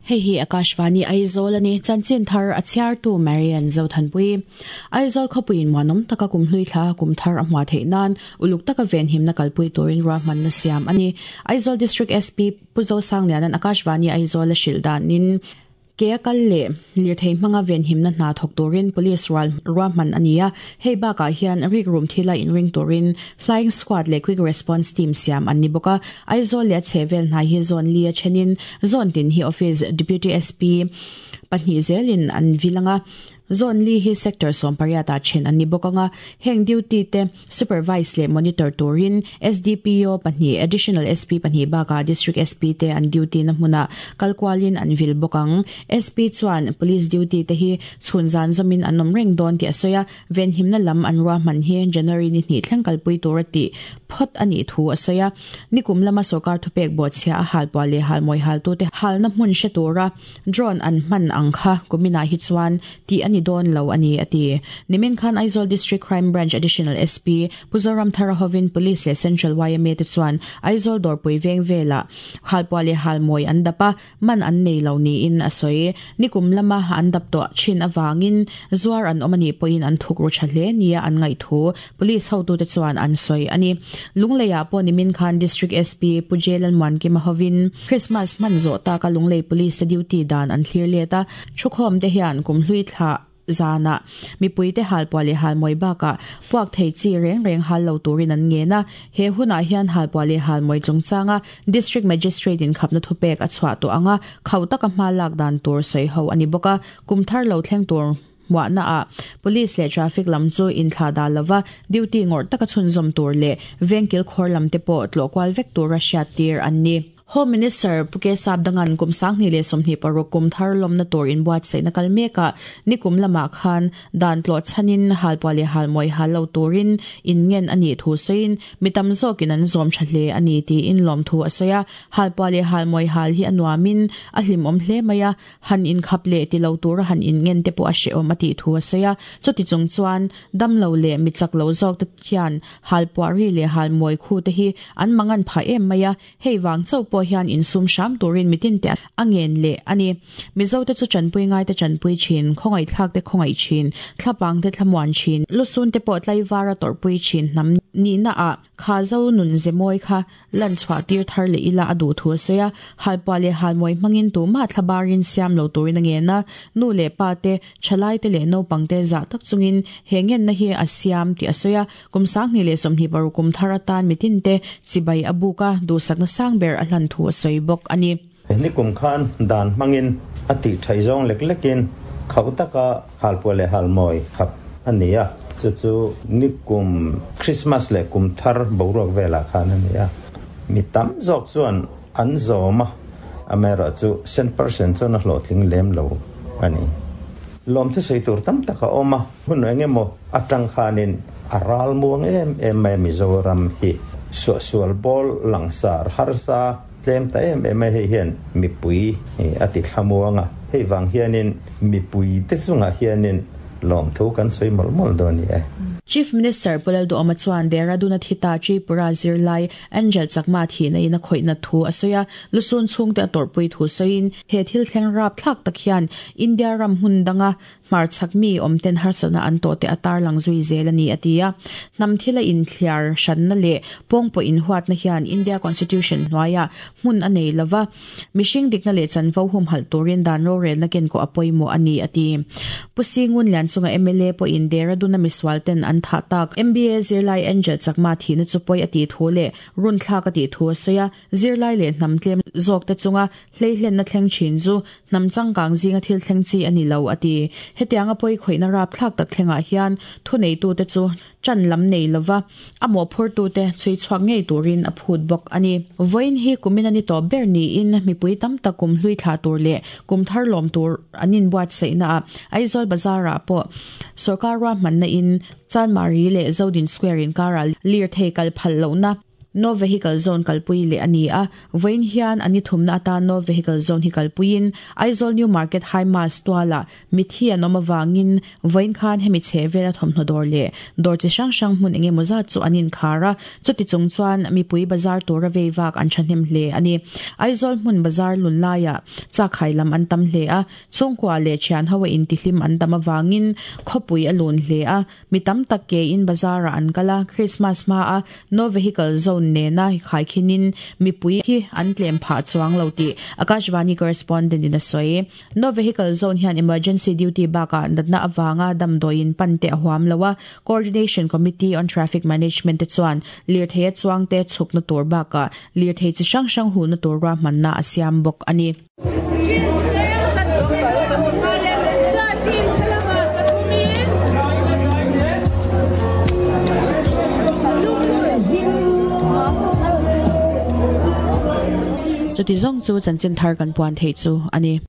Hei hi Akashvani Aizawl a ni. Chanchin thar a chhiartu Marian Zothanpui. Aizawl khawpuiin muanawm taka kum hlui thla kum thar a hmuah theih nan uluk taka venhimna kalpui turin ruahmanna siam a ni. Aizawl District SP Pu Zosangliana'n Akashvani Aizawl a hrilh danin Ke a kal leh lirthei hmanga venhimna hna thawk turin Police rual ruahman a ni a, hei bakah hian rikrum thila inring turin Flying Squad leh Quick Response Team siam an ni bawk a. Aizawl leh a chhehvel hnai hi zone li a thenin zone tin hi Office Deputy SP pahnih zelin an vil ang a. Zone li hi Sector sawmpariatah then an ni bawk ang a, heng duty te supervise leh monitor turin SDPO pahnih, Additional SP pahnih bakah District SP te an duty na hmunah kal kualin an vil bawk ang. SP chuan Police duty te hi chhun zan zawmin an awm reng dawn tih a sawi a, venhimna lam an ruahman hi January ni hnih thleng kalpui tura tih phawt a nih thu a sawi a. Nikum lama sorkar thupek bawhchhia a halpuah leh halmawi haltute halna hmun hre tura Drone an hman ang kha kuminah hi chuan tih a ni dawn lo a ni, a ti. Nimin khan Aizawl District Crime Branch Additional SP Pu Zoramthara hovin Police leh Central yma te chuan Aizawl dawrpui veng velah halpuah leh halmawi an dap a, man an nei lo niin a sawi. Nikum lama an dap tawh thin avangin zuar an awm a nih pawhin an thuk ru tha hle nia an ngaih thu Police hotute chuan an sawi a ni. Lungleiah pawh nimin khan District SP Pu J Lalmuankima hovin Christmas hman zawh taka Lunglei Police te duty dan an thlir let a, thukhawm te hian kum hlui thla zanah mipuite halpuah leh halmawi bakah puak thei chi reng reng hal lo turin an ngen a. He hunah hian halpuah leh halmawi chungchanga District Magistrate in khapna thupek a chhuah tawh ang a, khauh taka hma lak dan tur sawi ho a ni bawk a, kum thar lo thleng tur Hmuahna ah Police leh Traffic lam chu inthlah dah lova duty ngawrh taka chhunzawm tur leh vengkil khawr lam te pawh tlawh kual vek tura hriattir an ni. Home Minister Pu Ke Sapdangan kum 2026 kum thar lawmna tur inbuatsaihna kal mekah nikum lamah khan dan tlawh chhanin halpuah leh halmawi hal lo turin inngen a nih thu sawiin mi tam zawkin an zawm tha hle a ni tiin lawmthu a sawi a. Halpuah leh halmawi hal hi a nuamin a hlimawm hle mai a, Han inkhap leh ti lo tura han inngen te pawh a hrehawm a tih thu a sawi a. Chuti chung chuan damlo leh mi chak lo zawk te hian halpuah ri leh halmawi khu te hi an mangan phah em mai a, hei vang chauh pawh hian insum hram turin mitin te a ngen leh a ni. Mizo te chu tanpui ngai te tanpui thin, khawngaihthlak te khawngaih thin, thlapang te thlamuan thin, lusun te pawh tlaivar a tawrhpui thin hnam nihna ah kha zo nun ze mawi kha Lan chhuah tir thar leh ila a duh thu a sawi a, halpuah leh halmawi hmangin tumah thlabarin siam lo turin a ngen a, nu leh pa te, thalai te leh naupang te zah tak chungin he ngenna hi a siam tih a sawi a, kum 2026 kum thar atan mitin te chibai a buk a, duhsakna sang ber a hlan thu a sawi bawk a ni. Nikum khan dan hmangin a tih thaih zawng lek lekin khauh taka halpuah leh halmawi khap a ni a, chu chu nikum Krismas leh kum thar boruak velah khan a ni a. Mi tam zawk chuan an zawm a, amaherawhchu cent percent chuan a hlawhtling lem lo a ni. Lawmthu sawi tur tam tak a awm a, hun eng emaw atang khanin a ral muang em em mai a Mizoram hi suahsual bawl langsar harsa, Tlem ta em em a, hei hian mipui a ti thlamuang a, hei vang hianin mipui te chungah hianin lawmthu kan sawi mawlh mawlh dawn ni e. Chief Minister Pu Lalduhawma chuan Dehradun-a thita Tripura zirlai Angel Chakma thihna in a khawihna thu a sawi a, lusun chhungte a tawrhpui thu sawiin he thil thleng rapthlak tak hian India ram hmun danga Hmarchhak mi awmten harsatna an tawh te a tarlang zui zel a ni, a ti a. Hnam thila inthliar hranna leh pawngpawh inhuatna hian India Constitution hnuaiah hmun a nei lova, mihring dikna leh chanvo humhalh turin dan rorelna kenkawh a pawimawh a ni, a ti. Pu Singun Lianchunga mla pawhin Dehradun-a misualten an thah tak MBA zirlai Angel Chakma thihna chu pawi a tih thu leh runthlak a tih thu a sawi a, zirlai leh hnam tlem zawkte chunga hleihlenna thleng thin chu Hnam changkang zinga thil thleng chi a ni lo, a ti. Hetianga pawi khawihna rapthlak tak thlengah hian thuneitute chu ṭan lam nei lova a mawhphurtute chhui chhuak ngei turin a phut bawk a ni. Vawiin hi kumin a ni tawp ber niin mipui tam tak kum hlui thlah tur leh kum thar lawm tur an inbuatsaihnaah Aizawl Bazar-ah pawh sawrkar ruahmanna in Chanmari leh Zodin Square inkarah lirthei kal phal lohna. No Vehicle Zone kalpui leh a ni a, vawiin hian a ni thumna atan No Vehicle Zone hi kalpuiin Aizawl New Market High Mast tualah mithi an awm avangin vawiin khan hemi chheh vela thawmhnaw dawr leh dawr chi hrang hrang hmun eng emaw zat chu an inkhar a, chuti chung chuan mipui bazar tura vei vak an thahnem hle a ni. Aizawl hmun bazar lun laiah chak hai lam an tam hle a, chhungkua leh thian ho a intihlim an tam avangin khawpui a lun hle a, Mi tam tak ke in bazar ah an kal a, Christmas hma a No Vehicle Zone nena khaikhin in mipui hi an tlem phah chuang lo tih Akashvani correspondent in a sawi. No Vehicle Zone hian emergency duty bakah natna avanga damdawiin pan te a huam lo a, Coordination Committee on Traffic Management te chuan lirthei a chuang te chhukna tur bakah lirthei chi hrang hrang huhna tur ruahmanna a siam bawk a ni. Chuti zawng chu chanchin thar kan puan theih chu a ni.